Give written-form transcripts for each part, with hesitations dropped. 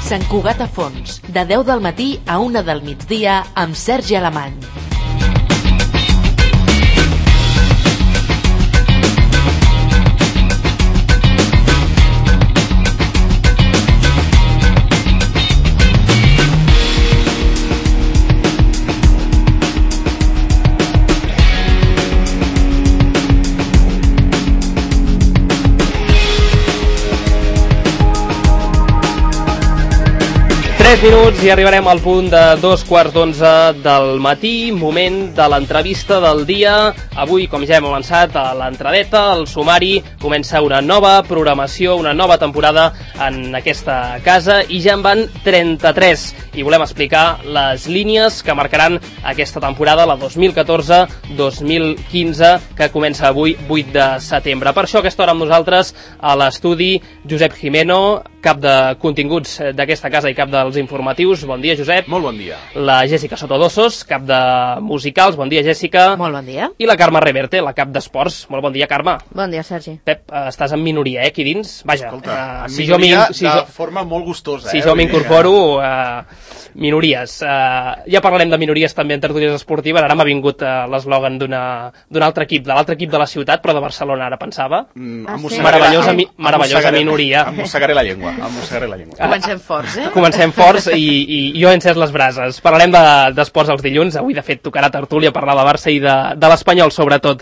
Sant Cugat a Fons, de 10 del matí a 1 del migdia amb Sergi Alemany. Minuts i arribarem al punt de 2:15 del matí, moment de l'entrevista del dia. Avui, com ja hem avançat a l'entradeta, el sumari, comença una nova programació, una nova temporada en aquesta casa i ja en van 33 i volem explicar les línies que marcaran aquesta temporada, la 2014-2015, que comença avui, 8 de setembre. Per això, a aquesta hora amb nosaltres, a l'estudi, Josep Jimeno, cap de continguts d'aquesta casa i cap dels informatius. Bon dia, Josep. Molt bon dia. La Jèssica Sotodossos, cap de musicals. Bon dia, Jèssica. Molt bon dia. I la Carme Reverte, la cap d'esports. Molt bon dia, Carme. Bon dia, Sergi. Pep, estàs en minoria, aquí dins? Vaja, escolta, en minoria de forma molt gustosa. Si jo m'incorporo, minories. Ja parlarem de minories també en tertúlies esportives. Ara m'ha vingut l'eslògan d'un altre equip, de l'altre equip de la ciutat, però de Barcelona, ara pensava. Meravellosa minoria. Em mossegaré la llengua. Comencem forts, Comencem forts i jo he encès les brases. Parlarem d'esports els dilluns. Avui, de fet, tocarà tertúlia, parlar de Barça i de l'Espanyol, sobretot.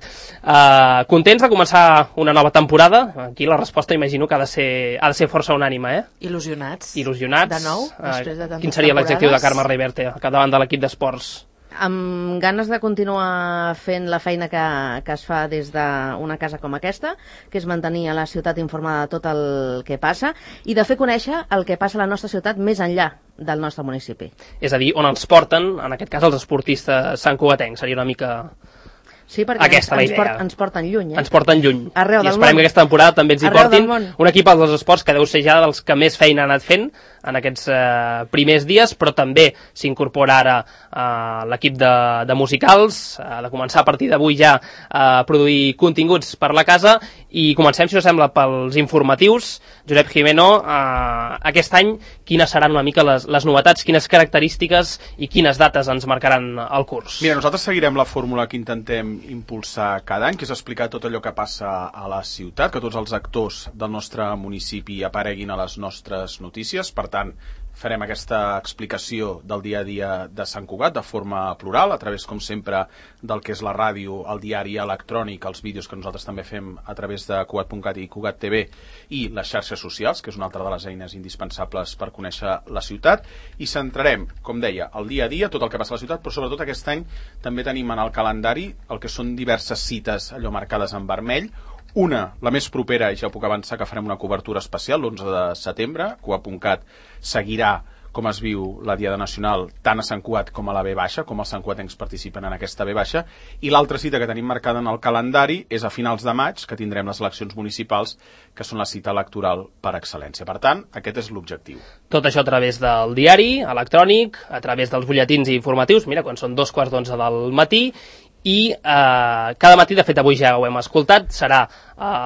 Contents de començar una nova temporada? Aquí la resposta imagino que ha de ser força unànime, Il·lusionats. De nou, després de tantes quin seria l'adjectiu de Carme Reverte al capdavant de l'equip d'esports? Amb ganes de continuar fent la feina que es fa des d'una casa com aquesta, que és mantenir a la ciutat informada de tot el que passa i de fer conèixer el que passa a la nostra ciutat més enllà del nostre municipi. És a dir, on ens porten, en aquest cas, els esportistes santcugatencs. Seria una mica... Sí, perquè ens porten lluny. Ens porten lluny. Arreu del món. I esperem que aquesta temporada també ens hi portin un equip dels esports que deu ser ja dels que més feina ha anat fent en aquests primers dies, però també s'incorpora ara l'equip de musicals, de començar a partir d'avui ja a produir continguts per la casa, i comencem, si us sembla, pels informatius. Josep Jimeno, aquest any quines seran una mica les novetats, quines característiques i quines dates ens marcaran el curs? Mira, nosaltres seguirem la fórmula que intentem impulsar cada any, que és explicar tot allò que passa a la ciutat, que tots els actors del nostre municipi apareguin a les nostres notícies. Per tant, farem aquesta explicació del dia a dia de Sant Cugat de forma plural, a través, com sempre, del que és la ràdio, el diari electrònic, els vídeos que nosaltres també fem a través de Cugat.cat i Cugat TV i les xarxes socials, que és una altra de les eines indispensables per conèixer la ciutat, i centrarem, com deia, el dia a dia, tot el que passa a la ciutat, però sobretot aquest any també tenim en el calendari el que són diverses cites allò marcades en vermell. Una, la més propera, i ja puc avançar que farem una cobertura especial l'11 de setembre. Cugat.cat seguirà com es viu la Diada Nacional tant a Sant Cugat com a la V baixa, com els santcugatencs participen en aquesta V baixa. I l'altra cita que tenim marcada en el calendari és a finals de maig, que tindrem les eleccions municipals, que són la cita electoral per excel·lència. Per tant, aquest és l'objectiu. Tot això a través del diari electrònic, a través dels butlletins informatius, mira, quan són 2:15 del matí, i cada matí, de fet avui ja ho hem escoltat, serà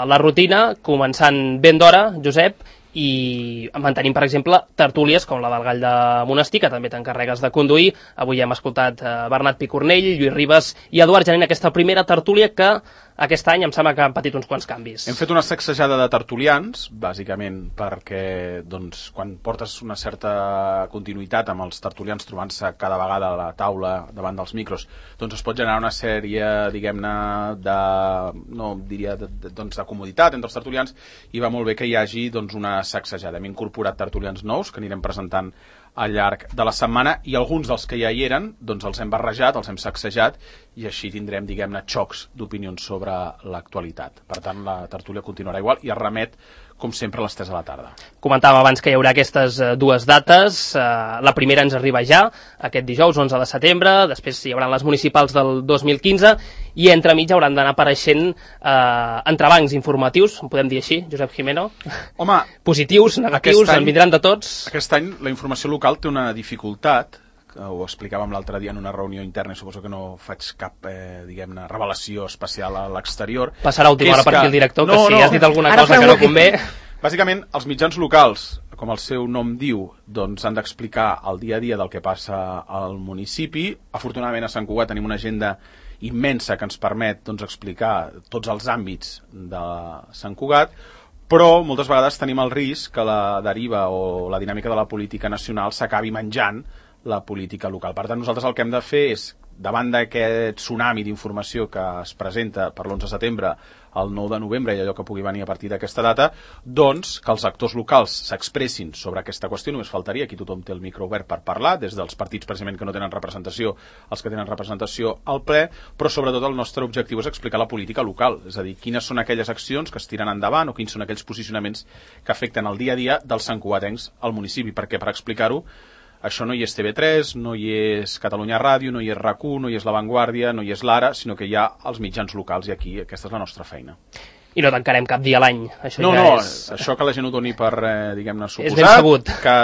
la rutina, començant ben d'hora, Josep, i mantenim, per exemple, tertúlies com la del Gall de Monestir, que també t'encarregues de conduir. Avui ja hem escoltat Bernat Picornell, Lluís Ribas i Eduard Janín, aquesta primera tertúlia que aquest any em sembla que han patit uns quants canvis. Hem fet una sacsejada de tertulians, bàsicament perquè quan portes una certa continuïtat amb els tertulians trobant-se cada vegada a la taula davant dels micros, doncs es pot generar una sèrie, diguem-ne, de comoditat entre els tertulians, i va molt bé que hi hagi una sacsejada. Hem incorporat tertulians nous que anirem presentant al llarg de la setmana, i alguns dels que ja hi eren els hem barrejat, els hem sacsejat, i així tindrem, diguem-ne, xocs d'opinions sobre l'actualitat. Per tant, la tertúlia continuarà igual i es remet, com sempre, a les 3 de la tarda. Comentàvem abans que hi haurà aquestes dues dates. La primera ens arriba ja, aquest dijous, 11 de setembre, després hi haurà les municipals del 2015, i entremig hauran d'anar apareixent entrebancs informatius, en podem dir així, Josep Jimeno? Home, positius, negatius, en vindran de tots. Aquest any la informació local té una dificultat, que ho explicàvem l'altre dia en una reunió interna, i suposo que no faig cap, diguem-ne, revelació especial a l'exterior. Passarà a última hora per aquí el director, que si has dit alguna cosa que no convé... Bàsicament, els mitjans locals, com el seu nom diu, doncs han d'explicar el dia a dia del que passa al municipi. Afortunadament a Sant Cugat tenim una agenda immensa que ens permet doncs, explicar tots els àmbits de Sant Cugat, però moltes vegades tenim el risc que la deriva o la dinàmica de la política nacional s'acabi menjant la política local. Per tant, nosaltres el que hem de fer és, davant d'aquest tsunami d'informació que es presenta per l'11 de setembre al 9 de novembre i allò que pugui venir a partir d'aquesta data, doncs que els actors locals s'expressin sobre aquesta qüestió. Només faltaria, aquí tothom té el micro obert per parlar, des dels partits precisament que no tenen representació, els que tenen representació al ple, però sobretot el nostre objectiu és explicar la política local, és a dir, quines són aquelles accions que es tiren endavant o quins són aquells posicionaments que afecten el dia a dia dels santcugatencs al municipi, perquè per explicar-ho això no hi és TV3, no hi és Catalunya Ràdio, no hi és RAC1, no hi és La Vanguardia, no hi és l'Ara, sinó que hi ha els mitjans locals i aquí aquesta és la nostra feina. I no tancarem cap dia a l'any. Això que la gent ho doni per, diguem-ne, suposat. És ben sabut. Que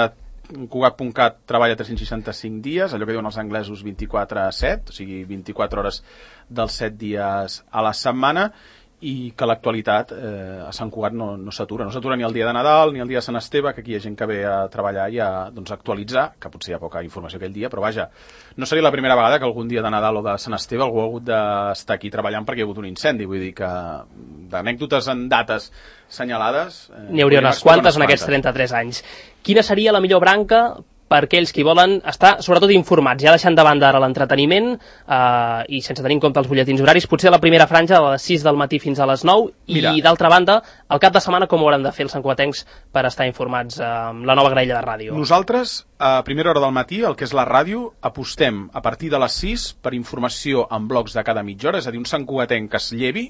Cugat.cat treballa 365 dies, allò que diuen els anglesos 24/7, o sigui 24 hores dels 7 dies a la setmana, i que l'actualitat a Sant Cugat no s'atura. No s'atura ni el dia de Nadal ni el dia de Sant Esteve, que aquí hi ha gent que ve a treballar i a doncs, actualitzar, que potser hi ha poca informació aquell dia, però vaja, no seria la primera vegada que algun dia de Nadal o de Sant Esteve algú ha hagut d'estar aquí treballant perquè hi ha hagut un incendi. Vull dir que d'anècdotes en dates senyalades n'hi hauria unes quantes en aquests 33 anys. Quina seria la millor branca per aquells que volen estar, sobretot, informats, ja deixant de banda ara l'entreteniment i sense tenir en compte els butlletins horaris, potser la primera franja de les 6 del matí fins a les 9 i, d'altra banda, el cap de setmana com ho hauran de fer els santcugatencs per estar informats amb la nova graella de ràdio? Nosaltres, a primera hora del matí, el que és la ràdio, apostem a partir de les 6 per informació en blocs de cada mitja hora, és a dir, un santcugatenc que es llevi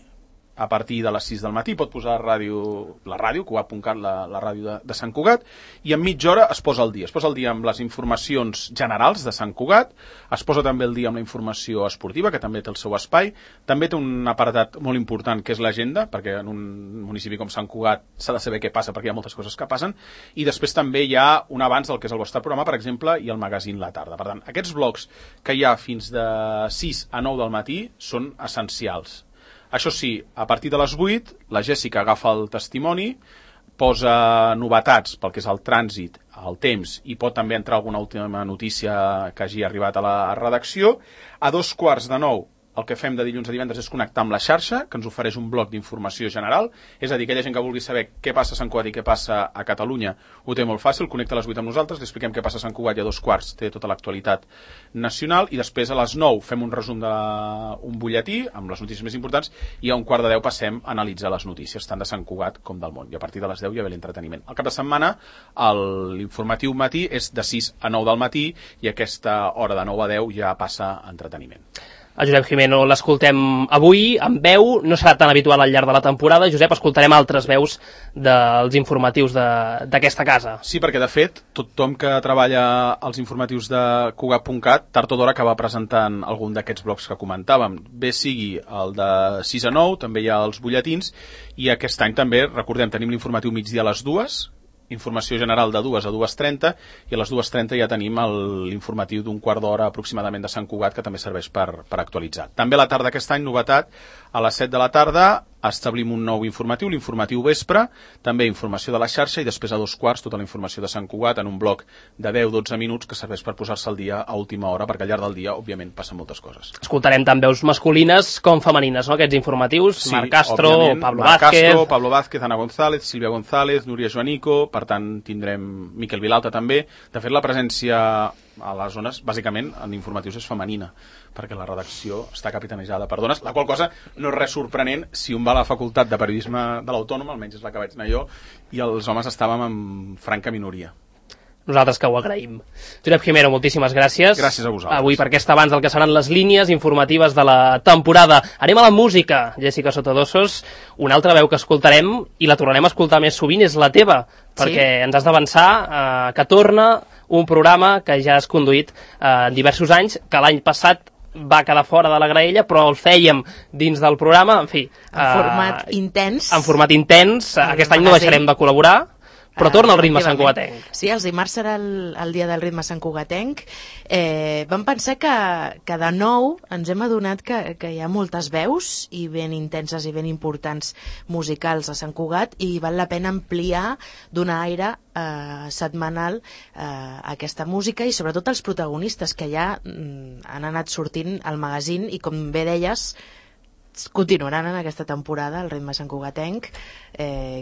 a partir de les 6 del matí, pot posar la ràdio, Cugat.cat, la ràdio de Sant Cugat, i en mitja hora es posa el dia. Es posa el dia amb les informacions generals de Sant Cugat, es posa també el dia amb la informació esportiva, que també té el seu espai, també té un apartat molt important que és l'agenda, perquè en un municipi com Sant Cugat s'ha de saber què passa, perquè hi ha moltes coses que passen, i després també hi ha un abans del que és el vostre programa, per exemple, i el magazín La Tarda. Per tant, aquests blocs que hi ha fins de 6 a 9 del matí són essencials. Això sí, a partir de les 8, la Jèssica agafa el testimoni, posa novetats pel que és el trànsit, el temps, i pot també entrar alguna última notícia que hagi arribat a la redacció. A 2:15, el que fem de dilluns a divendres és connectar amb la xarxa, que ens ofereix un bloc d'informació general, és a dir, aquella gent que vulgui saber què passa a Sant Cugat i què passa a Catalunya, ho té molt fàcil, connecta a les 8 amb nosaltres, li expliquem què passa a Sant Cugat i a 2:15 té tota l'actualitat nacional, i després a les 9 fem un resum d'un butlletí amb les notícies més importants, i a 9:15 passem a analitzar les notícies, tant de Sant Cugat com del món, i a partir de les 10 hi ha l'entreteniment. Al cap de setmana, l'informatiu matí és de 6 a 9 del matí, i aquesta hora de 9 a 10 ja passa a entreteniment. A Josep Jimeno l'escoltem avui amb veu, no serà tan habitual al llarg de la temporada. Josep, escoltarem altres veus dels informatius d'aquesta casa. Sí, perquè de fet tothom que treballa als informatius de Cugat.cat tard o d'hora acaba presentant algun d'aquests blocs que comentàvem. Bé sigui el de 6 a 9, també hi ha els butlletins, i aquest any també, recordem, tenim l'informatiu migdia a les 2, informació general de 2 a 2:30, i a les 2:30 ja tenim l'informatiu d'un quart d'hora aproximadament de Sant Cugat, que també serveix per actualitzar. També a la tarda aquest any, novetat, a les 7 de la tarda establim un nou informatiu, l'informatiu vespre, també informació de la xarxa, i després a 2:15 tota la informació de Sant Cugat en un bloc de 10-12 minuts que serveix per posar-se al dia a última hora, perquè al llarg del dia, òbviament, passen moltes coses. Escoltarem tant veus masculines com femenines, no?, aquests informatius. Sí, Marc Castro, Pablo Marc Vázquez... Castro, Pablo Vázquez, Ana González, Sílvia González, Núria Joanico, per tant tindrem Miquel Vilalta també. De fet, la presència a les zones, bàsicament, en informatius és femenina, perquè la redacció està capitanejada per dones, la qual cosa no és res sorprenent si un va a la facultat de periodisme de l'Autònoma, almenys és la que vaig anar jo, i els homes estàvem en franca minoria. Nosaltres que ho agraïm. Josep Jimeno, moltíssimes gràcies. Gràcies a vosaltres. Avui per aquest abans del que seran les línies informatives de la temporada. Anem a la música, Jèssica Sotodossos. Una altra veu que escoltarem, i la tornarem a escoltar més sovint, és la teva, perquè ens has d'avançar que torna un programa que ja has conduït diversos anys, que l'any passat va quedar fora de la graella, però el fèiem dins del programa, en fi... En format intens. En format intens. Aquest any no deixarem de col·laborar, Però torna el ritme santcugatenc. Sí, els dimarts serà el dia del ritme santcugatenc. Vam pensar que de nou ens hem adonat que hi ha moltes veus i ben intenses i ben importants musicals a Sant Cugat i val la pena ampliar, donar aire setmanal a aquesta música i sobretot els protagonistes que ja han anat sortint al magazín i com bé deies continuaran en aquesta temporada el ritme santcugatenc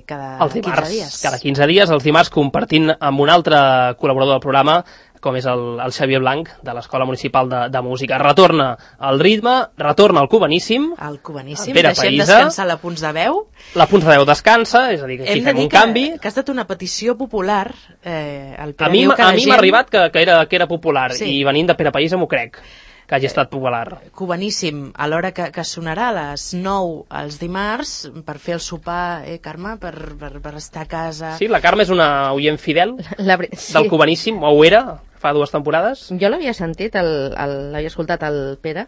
cada 15 dies. Cada 15 dies, els dimarts, compartint amb un altre col·laborador del programa, com és el Xavier Blanc, de l'Escola Municipal de Música. Retorna el ritme, retorna el cubaníssim. El cubaníssim, Pere deixem Païsa. descansar la punts de veu. La punts de veu descansa, és a dir, que aquí fem un canvi. Que ha estat una petició popular. El A mi m'ha arribat que era popular, sí. I venint de Pere Païsa m'ho crec, que hagi estat popular. Cubaníssim, a l'hora que sonarà a les 9 els dimarts, per fer el sopar, Carme, per estar a casa... Sí, la Carme és una oient fidel del cubaníssim, o ho era, fa 2 temporades. Jo l'havia sentit, l'havia escoltat el Pere,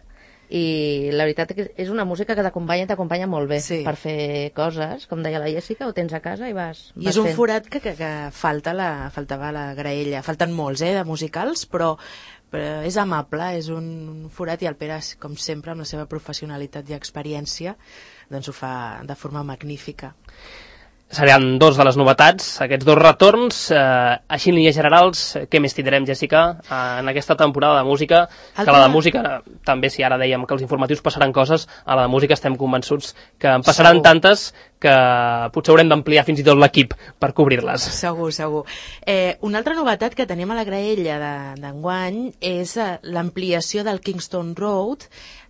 i la veritat que és una música que t'acompanya molt bé per fer coses, com deia la Jessica, ho tens a casa i vas I és un fent. forat que faltava la graella. Falten molts, de musicals, però és amable, és un forat i el Pere, com sempre, amb la seva professionalitat i experiència, doncs ho fa de forma magnífica. Seran 2 de les novetats, aquests 2 retorns. Així en línies generals, què més tindrem, Jessica, en aquesta temporada de música? Que la de música, també, si ara dèiem que els informatius passaran coses, a la de música estem convençuts que en passaran tantes que potser haurem d'ampliar fins i tot l'equip per cobrir-les. Segur. Una altra novetat que tenim a la graella d'enguany és l'ampliació del Kingston Road.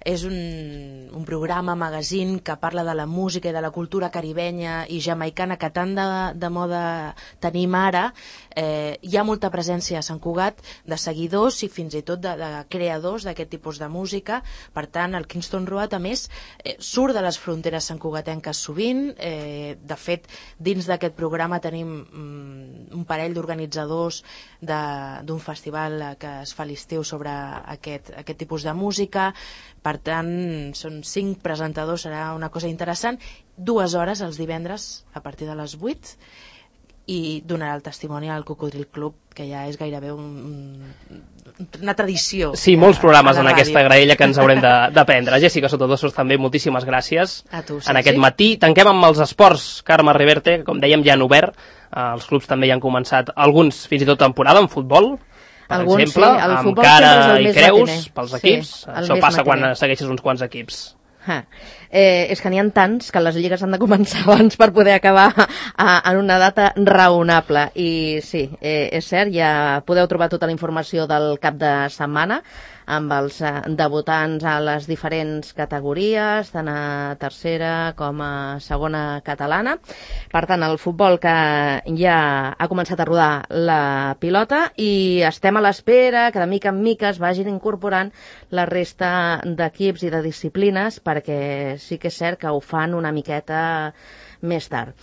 És un programa, magazín, que parla de la música i de la cultura caribenya i jamaicana que tant de moda tenim ara. Hi ha molta presència a Sant Cugat de seguidors i fins i tot de creadors d'aquest tipus de música. Per tant, el Kingston Road, a més, surt de les fronteres santcugatenques sovint. De fet, dins d'aquest programa tenim un parell d'organitzadors d'un festival que es fa a l'estiu sobre aquest tipus de música. Per tant, són 5 presentadors, serà una cosa interessant. 2 hores els divendres a partir de les 8 i donarà el testimoni al Cocodril Club, que ja és gairebé una tradició. Sí, molts programes en aquesta graella que ens haurem d'aprendre. Jessica Sotodosos, també moltíssimes gràcies a tu, en aquest matí. Tanquem amb els esports. Carme Riverte, com dèiem, ja han obert. Els clubs també ja han començat, alguns fins i tot temporada, en futbol, per exemple, amb cara i creus pels equips. Això passa quan segueixes uns quants equips. És que n'hi ha tants que les lligues han de començar abans per poder acabar en una data raonable. I sí, és cert, ja podeu trobar tota la informació del cap de setmana amb els debutants a les diferents categories, tant a tercera com a segona catalana. Per tant, el futbol que ja ha començat a rodar la pilota i estem a l'espera que de mica en mica es vagin incorporant la resta d'equips i de disciplines, perquè sí que és cert que ho fan una miqueta més tard.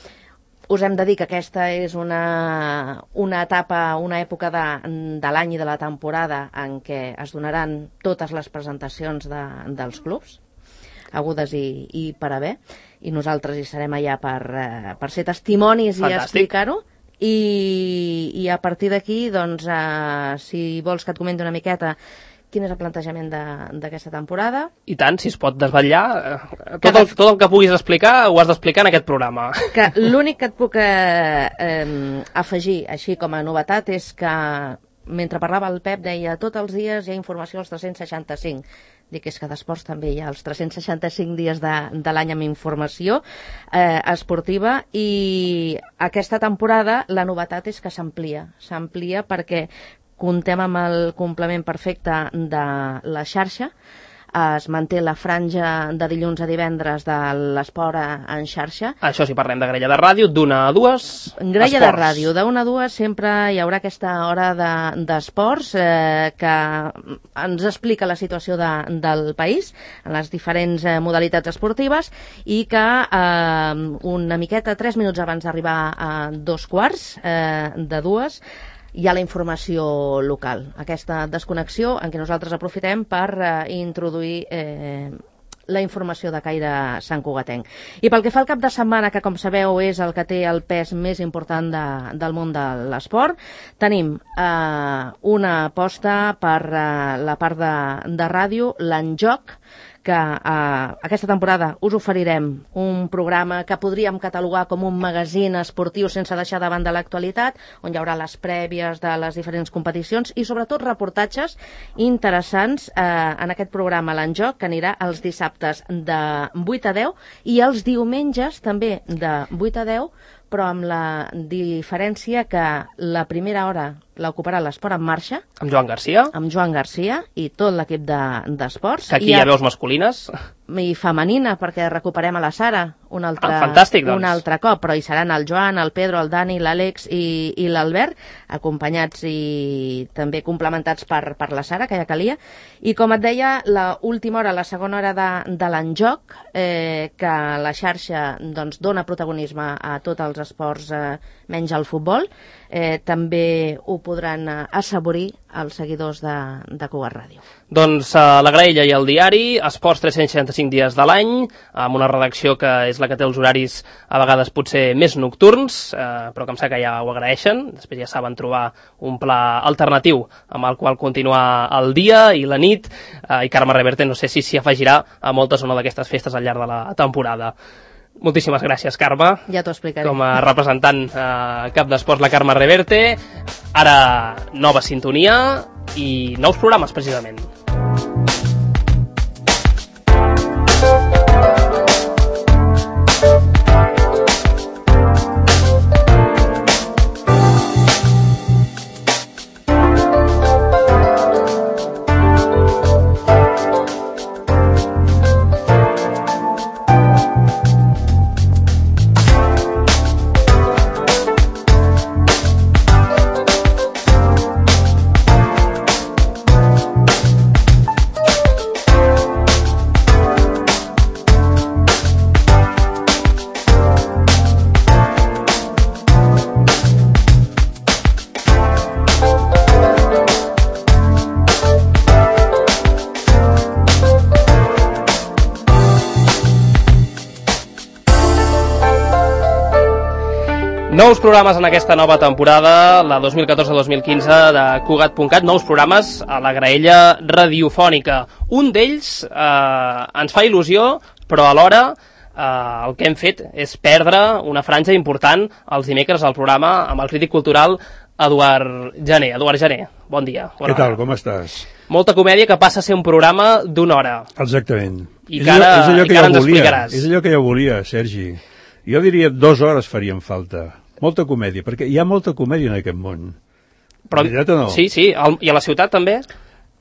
Us hem de dir que aquesta és una etapa, una època de l'any i de la temporada en què es donaran totes les presentacions dels clubs, agudes i per haver, i nosaltres hi serem allà per ser testimonis i explicar-ho. I a partir d'aquí, doncs, si vols que et comenti una miqueta quin és el plantejament d'aquesta temporada. I tant, si es pot desvetllar, tot el que puguis explicar ho has d'explicar en aquest programa. Que l'únic que et puc afegir així com a novetat és que mentre parlava el Pep deia tots els dies hi ha informació als 365. Dic, és que d'esports també hi ha els 365 dies de l'any amb informació esportiva, i aquesta temporada la novetat és que s'amplia perquè comptem amb el complement perfecte de la xarxa. Es manté la franja de dilluns a divendres de l'esport en xarxa. Això si parlem de grella de ràdio, d'1 a 2, grella de ràdio, d'1 a 2 sempre hi haurà aquesta hora d'esports que ens explica la situació del país en les diferents modalitats esportives, i que una miqueta, 3 minuts abans d'arribar a 2:15 de 2, hi ha la informació local. Aquesta desconnexió en què nosaltres aprofitem per introduir la informació de caire santcugatenc. I pel que fa al cap de setmana, que com sabeu és el que té el pes més important del món de l'esport, tenim una aposta per la part de ràdio, l'Enjoc, que aquesta temporada us oferirem un programa que podríem catalogar com un magazín esportiu sense deixar de banda l'actualitat, on hi haurà les prèvies de les diferents competicions i sobretot reportatges interessants en aquest programa l'Enjoc, que anirà els dissabtes de 8 a 10 i els diumenges també de 8 a 10, però amb la diferència que la primera hora l'ocuparà l'Esport en Marxa. Amb Joan Garcia. Amb Joan Garcia i tot l'equip d'esports. Que aquí hi ha veus masculines. I femenina, perquè recuperem a la Sara un fantàstic, doncs. un altre cop, però hi seran el Joan, el Pedro, el Dani, l'Àlex i l'Albert, acompanyats i també complementats per la Sara, que ja calia. I com et deia, l'última hora, la segona hora de l'Enjoc, que la xarxa doncs, dona protagonisme a tots els esports menys al futbol, també ho podran assaborir els seguidors de Cugat Ràdio. Doncs la Graella i el diari, esports 365 dies de l'any, amb una redacció que és la que té els horaris a vegades potser més nocturns, però que em sembla que ja ho agraeixen. Després ja saben trobar un pla alternatiu amb el qual continuar el dia i la nit, i Carme Reverte no sé si s'hi afegirà a moltes o no d'aquestes festes al llarg de la temporada. Moltíssimes gràcies, Carme. Ja t'ho explicaré. Com a representant cap d'esports, la Carme Reverte. Ara, nova sintonia i nous programes, precisament. Nous programes en aquesta nova temporada, la 2014-2015 de Cugat.cat, nous programes a la graella radiofònica. Un d'ells ens fa il·lusió, però alhora el que hem fet és perdre una franja important els dimecres al programa amb el crític cultural Eduard Gené. Eduard Gené, bon dia. Què tal, com estàs? Molta comèdia que passa a ser un programa d'una hora. Exactament. I que ara ens explicaràs. És allò que jo volia, Sergi. Jo diria 2 hores farien falta. Molta comèdia, perquè hi ha molta comèdia en aquest món. Però, veritat o no? Sí, i a la ciutat també?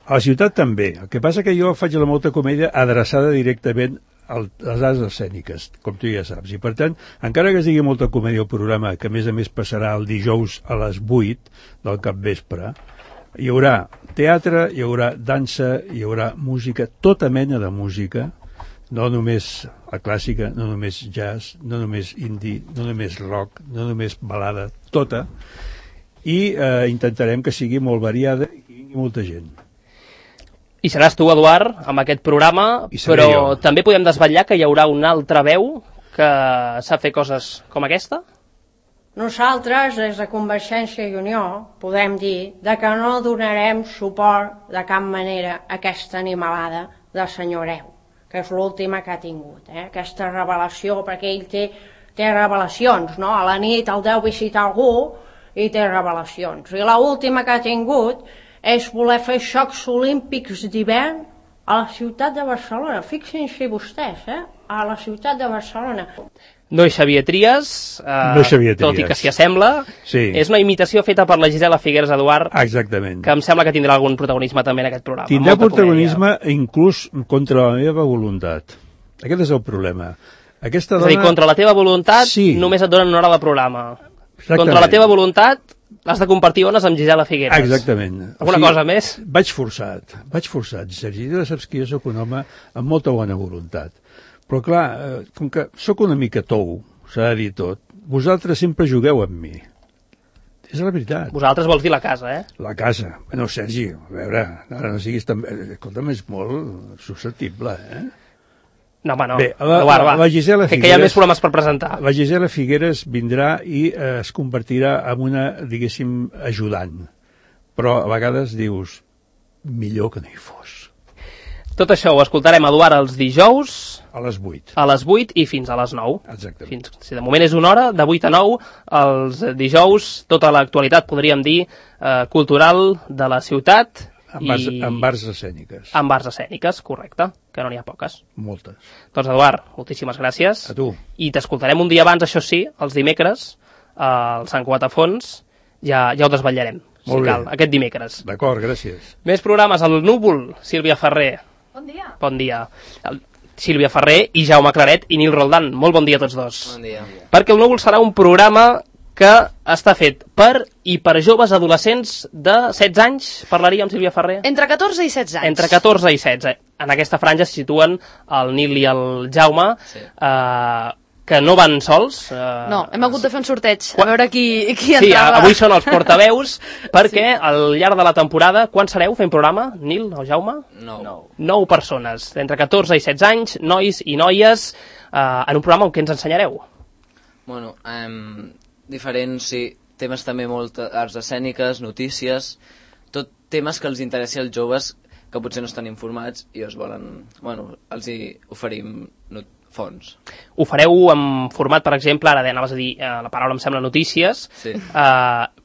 A la ciutat també. El que passa que jo faig la molta comèdia adreçada directament a les arts escèniques, com tu ja saps. I per tant, encara que es digui molta comèdia al programa, que a més pasarà el dijous a les 8 del capvespre, hi haurà teatre, hi haurà dansa, hi haurà música, tota mena de música, no només la clàssica, no només jazz, no només indie, no només rock, no només balada, tota, i intentarem que sigui molt variada i que vingui molta gent. I seràs tu, Eduard, amb aquest programa, però jo. També podem desvetllar que hi haurà una altra veu que sap fer coses com aquesta? Nosaltres, des de Convergència i Unió, podem dir que no donarem suport de cap manera a aquesta animalada del senyor Hereu, que és l'última que ha tingut, aquesta revelació, perquè ell té revelacions, no? A la nit el deu visitar algú i té revelacions. I l'última que ha tingut és voler fer Jocs Olímpics d'hivern a la ciutat de Barcelona. Fixin-se vostès, a la ciutat de Barcelona. No hi Xavier Trias, tot i que s'hi assembla. Sí. És una imitació feta per la Gisela Figueres, Eduard. Exactament. Que em sembla que tindrà algun protagonisme també en aquest programa. Tindrà protagonisme inclús contra la meva voluntat. Aquest és el problema. Aquesta dona... És a dir, contra la teva voluntat només et donen una hora de programa. Exactament. Contra la teva voluntat has de compartir ones amb Gisela Figueres. Exactament. Alguna cosa més? Vaig forçat, Sergi. Tu saps que jo soc un home amb molta bona voluntat. Però clar, com que sóc una mica tou, s'ha de dir tot, vosaltres sempre jugueu amb mi. És la veritat. Vosaltres vols dir la casa, La casa. Bueno, Sergi, a veure, ara no siguis tan... Escolta'm, és molt susceptible, No, home, no. Bé, Eduard, va. la Gisela que hi ha més programes per presentar. La Gisela Figueres vindrà i es convertirà en una, diguéssim, ajudant. Però a vegades dius, millor que no hi fos. Tot això ho escoltarem, Eduard, els dijous A les 8. a les 8 i fins a les 9. Exactament. Si de moment és una hora, de 8 a 9, els dijous, tota l'actualitat, podríem dir, cultural de la ciutat. Amb arts escèniques. Amb arts escèniques, correcte, que no n'hi ha poques. Moltes. Doncs, Eduard, moltíssimes gràcies. A tu. I t'escoltarem un dia abans, això sí, els dimecres, al Sant Cugat a Fons, ja ho desvetllarem, si cal, aquest dimecres. D'acord, gràcies. Més programes, el Núvol, Sílvia Ferrer. Bon dia. Bon dia. Sílvia Ferrer i Jaume Claret i Nil Roldan. Molt bon dia a tots dos. Bon dia. Perquè el Núvol serà un programa que està fet per i per joves adolescents de 16 anys, parlaria amb Sílvia Ferrer? Entre 14 i 16 anys. Entre 14 i 16. En aquesta franja se situen el Nil i el Jaume, sí. Que no van sols. No, hem hagut de fer un sorteig, a veure qui entrava. Sí, avui són els portaveus, perquè al llarg de la temporada, quan sereu fent programa, Nil o Jaume? 9 persones, entre 14 i 16 anys, nois i noies, en un programa on què ens ensenyareu? Bueno, diferents, sí, temes també molt arts escèniques, notícies, tot temes que els interessi als joves que potser no estan informats i els volen, bueno, els hi oferim fons. Ho fareu en format, per exemple, ara anaves a dir, la paraula em sembla notícies, sí.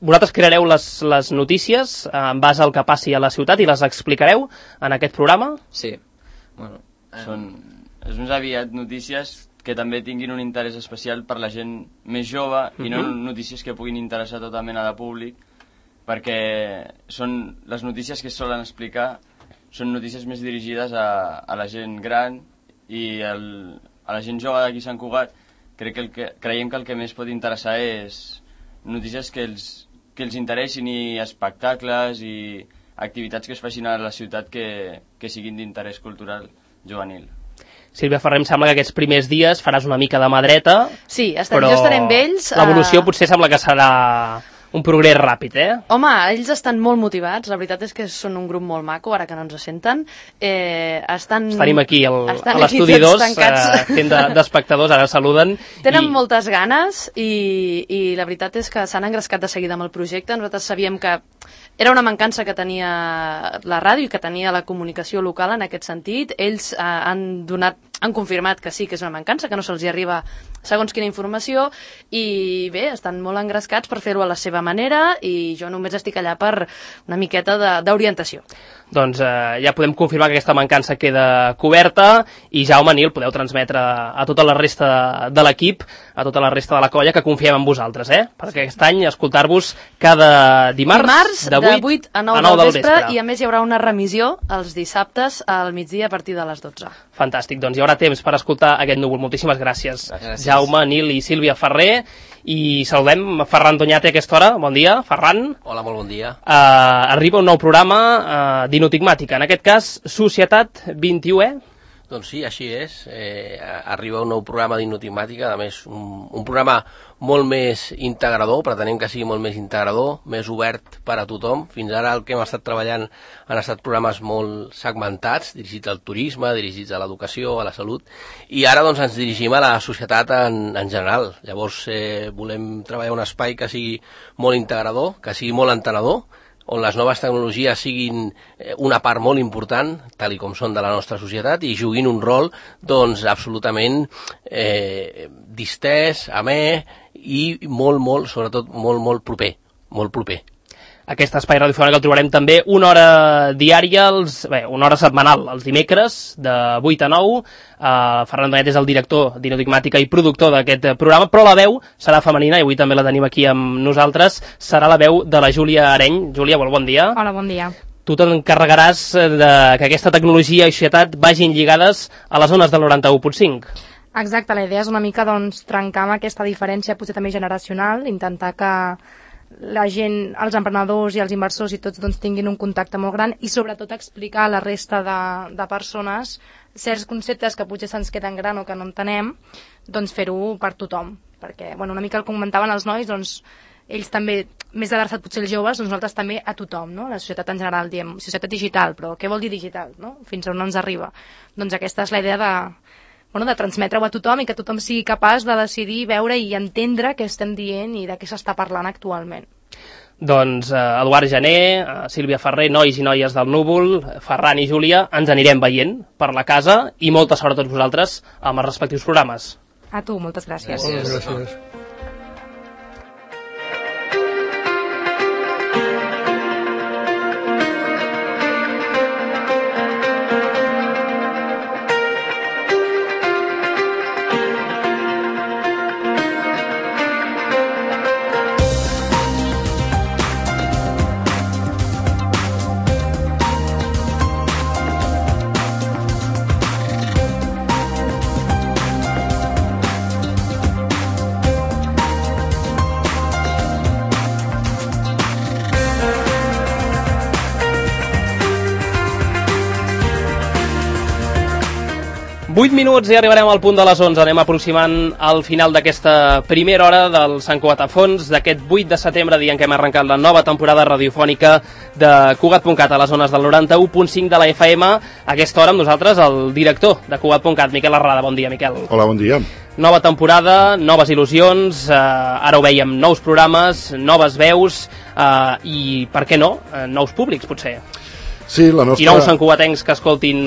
Vosaltres creareu les notícies en base al que passi a la ciutat i les explicareu en aquest programa? Sí, bueno. És més aviat notícies que també tinguin un interès especial per la gent més jove i no notícies que puguin interessar a tota mena de públic, perquè són les notícies que es solen explicar són notícies més dirigides a la gent gran i a la gent jove d'aquí Sant Cugat. Creiem que el que més pot interessar és notícies que els interessin i espectacles i activitats que es facin a la ciutat que siguin d'interès cultural juvenil. Sílvia Ferrer, em sembla que aquests primers dies faràs una mica de mà dreta. Sí, jo estaré amb ells. L'evolució potser sembla que serà un progrés ràpid, Home, ells estan molt motivats, la veritat és que són un grup molt maco, ara que no ens senten. Tenim aquí a l'estudi 2 fent d'espectadors, ara saluden. Tenen moltes ganes i la veritat és que s'han engrescat de seguida amb el projecte. Nosaltres sabíem que era una mancança que tenia la ràdio i que tenia la comunicació local en aquest sentit. Ells han confirmat que sí, que és una mancança, que no se'ls arriba segons quina informació, i bé, estan molt engrescats per fer-ho a la seva manera i jo només estic allà per una miqueta d'orientació. Doncs ja podem confirmar que aquesta mancança queda coberta i Jaume, Nil, podeu transmetre a tota la resta de l'equip, a tota la resta de la colla, que confiem en vosaltres, perquè aquest any escoltar-vos cada dimarts de 8 a 9 del vespre, i a més hi haurà una remissió els dissabtes al migdia a partir de les 12. Fantàstic, doncs hi haurà temps per escoltar aquest núvol. Moltíssimes gràcies. Jaume, Nil i Sílvia Ferrer. I saludem Ferran Doñate a aquesta hora. Bon dia, Ferran. Hola, molt bon dia. Arriba un nou programa d'Inotigmàtica, en aquest cas Societat 21è. Doncs sí, així és. Arriba un nou programa d'Inotigmàtica, a més un programa molt més integrador, pretenem que sigui molt més integrador, més obert per a tothom. Fins ara el que hem estat treballant han estat programes molt segmentats, dirigits al turisme, dirigits a l'educació, a la salut, i ara doncs ens dirigim a la societat en general. Llavors volem treballar un espai que sigui molt integrador, que sigui molt entenedor, on les noves tecnologies siguin una part molt important, tal com són de la nostra societat, i juguin un rol doncs absolutament distès, amè i molt, sobretot molt proper, molt proper. Aquest espai radiofònic el trobarem també una hora diària, una hora setmanal, els dimecres, de 8 a 9. Ferran Doñate és el director d'Inotigmàtica i productor d'aquest programa, però la veu serà femenina, i avui també la tenim aquí amb nosaltres, serà la veu de la Júlia Areny. Júlia, bon dia. Hola, bon dia. Tu t'encarregaràs que aquesta tecnologia i societat vagin lligades a les zones del 91.5. Exacte, la idea és una mica trencar amb aquesta diferència potser també generacional, intentar que la gent, els emprenedors i els inversors i tots tinguin un contacte molt gran i sobretot explicar a la resta de persones certs conceptes que potser se'ns queden gran o que no entenem, fer-ho per tothom. Perquè, una mica el comentaven els nois, ells també, més adreçat potser els joves, nosaltres també a tothom, no? La societat en general, diem, societat digital, però què vol dir digital, no? Fins on ens arriba? Aquesta és la idea de transmetre-ho a tothom i que tothom sigui capaç de decidir, veure i entendre què estem dient i de què s'està parlant actualment. Doncs Eduard Jané, Sílvia Ferrer, nois i noies del Núvol, Ferran i Júlia, ens anirem veient per la casa i molta sort a tots vosaltres amb els respectius programes. A tu, moltes gràcies. Gràcies. Vuit minuts i arribarem al punt de les 11. Anem aproximant al final d'aquesta primera hora del Sant Cugat a Fons, d'aquest 8 de setembre, dia en què hem arrencat la nova temporada radiofònica de Cugat.cat a les zones del 91.5 de la FM. A aquesta hora amb nosaltres el director de Cugat.cat, Miquel Arrada. Bon dia, Miquel. Hola, bon dia. Nova temporada, noves il·lusions, ara ho veiem, nous programes, noves veus i, per què no, nous públics, potser. Sí, la nostra... I nous santcugatencs que escoltin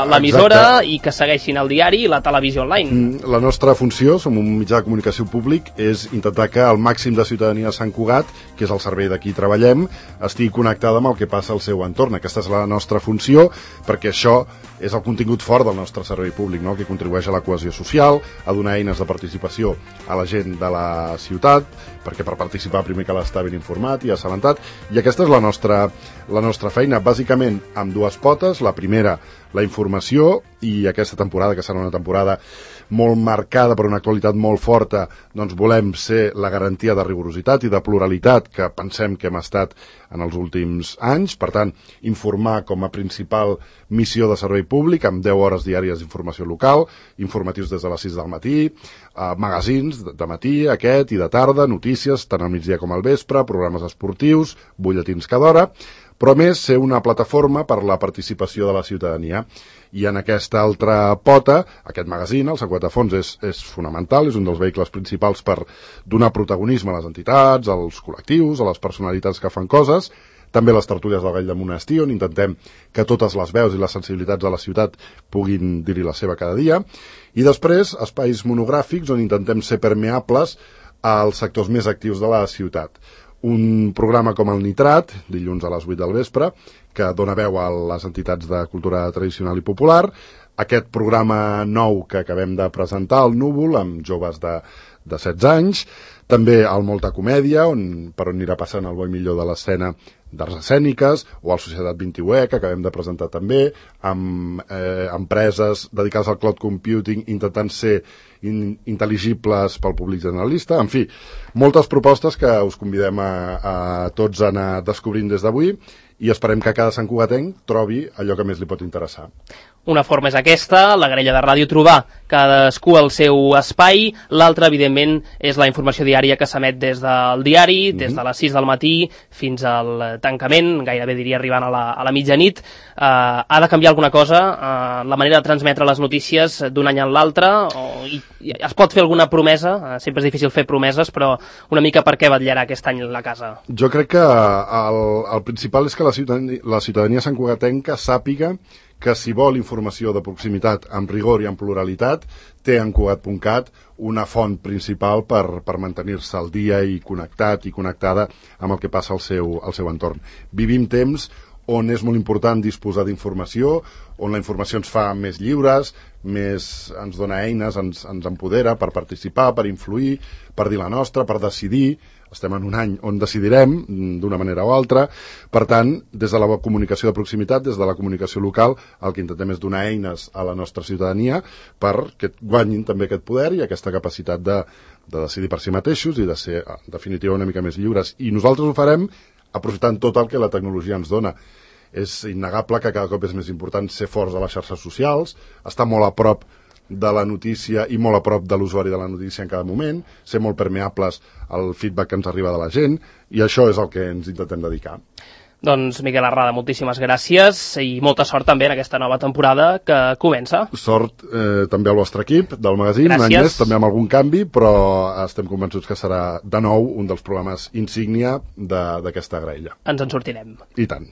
l'emissora i que segueixin el diari i la televisió online. La nostra funció, som un mitjà de comunicació públic, és intentar que el màxim de ciutadania de Sant Cugat, que és el servei d'aquí treballem, estigui connectada amb el que passa al seu entorn. Aquesta és la nostra funció, perquè això és el contingut fort del nostre servei públic, no? Que contribueix a la cohesió social, a donar eines de participació a la gent de la ciutat, perquè per participar primer cal estar ben informat i assabentat, i aquesta és la nostra feina, bàsicament amb dues potes. La primera, la informació, i aquesta temporada, que serà una temporada molt marcada per una actualitat molt forta, doncs volem ser la garantia de rigorositat i de pluralitat que pensem que hem estat en els últims anys. Per tant, informar com a principal missió de servei públic, amb 10 hores diàries d'informació local, informatius des de les 6 del matí, magazins de matí, aquest i de tarda, notícies tant al migdia com al vespre, programes esportius, butlletins cada hora, però a més ser una plataforma per la participació de la ciutadania. I en aquesta altra pota, aquest magazín, el Sant Cugat a Fons, és fonamental, és un dels vehicles principals per donar protagonisme a les entitats, als col·lectius, a les personalitats que fan coses, també les tertúlies del Gall de Monestir, on intentem que totes les veus i les sensibilitats de la ciutat puguin dir-hi la seva cada dia, i després espais monogràfics on intentem ser permeables als sectors més actius de la ciutat. Un programa com el Nitrat, dilluns a les 8 del vespre, que dona veu a les entitats de cultura tradicional i popular. Aquest programa nou que acabem de presentar, el Núvol, amb joves de 16 anys. També el Molta Comèdia, per on anirà passant el bo i millor de l'escena d'arts escèniques, o el Societat 21, que acabem de presentar també, amb empreses dedicades al cloud computing, intentant ser intel·ligibles pel públic generalista. En fi, moltes propostes que us convidem a tots a anar descobrint des d'avui, i esperem que cada santcugatenc trobi allò que més li pot interessar. Una forma és aquesta, la grella de ràdio trobar cadascú el seu espai. L'altra, evidentment, és la informació diària que s'emet des del diari, des de les 6 del matí fins al tancament, gairebé diria arribant a la mitjanit. Ha de canviar alguna cosa la manera de transmetre les notícies d'un any a l'altre? Es pot fer alguna promesa? Sempre és difícil fer promeses, però una mica per què vetllarà aquest any la casa? Jo crec que el principal és que la ciutadania santcugatenca sàpiga que si vol informació de proximitat amb rigor i amb pluralitat, té en Cugat.cat una font principal per mantenir-se al dia i connectat i connectada amb el que passa al seu entorn. Vivim temps on és molt important disposar d'informació, on la informació ens fa més lliures, ens dona eines, ens empodera per participar, per influir, per dir la nostra, per decidir. Estem en un any on decidirem d'una manera o altra. Per tant, des de la comunicació de proximitat, des de la comunicació local, el que intentem és donar eines a la nostra ciutadania perquè guanyin també aquest poder i aquesta capacitat de decidir per si mateixos i de ser, en definitiva, una mica més lliures. I nosaltres ho farem aprofitant tot el que la tecnologia ens dona. És innegable que cada cop és més important ser forts a les xarxes socials, estar molt a prop de la notícia i molt a prop de l'usuari de la notícia en cada moment, ser molt permeables al feedback que ens arriba de la gent, i això és el que ens intentem dedicar. Doncs Miquel Arrada, moltíssimes gràcies i molta sort també en aquesta nova temporada que comença. Sort també al vostre equip del magazín, un any més, també amb algun canvi, però estem convençuts que serà de nou un dels programes insígnia d'aquesta graella. Ens en sortirem. I tant.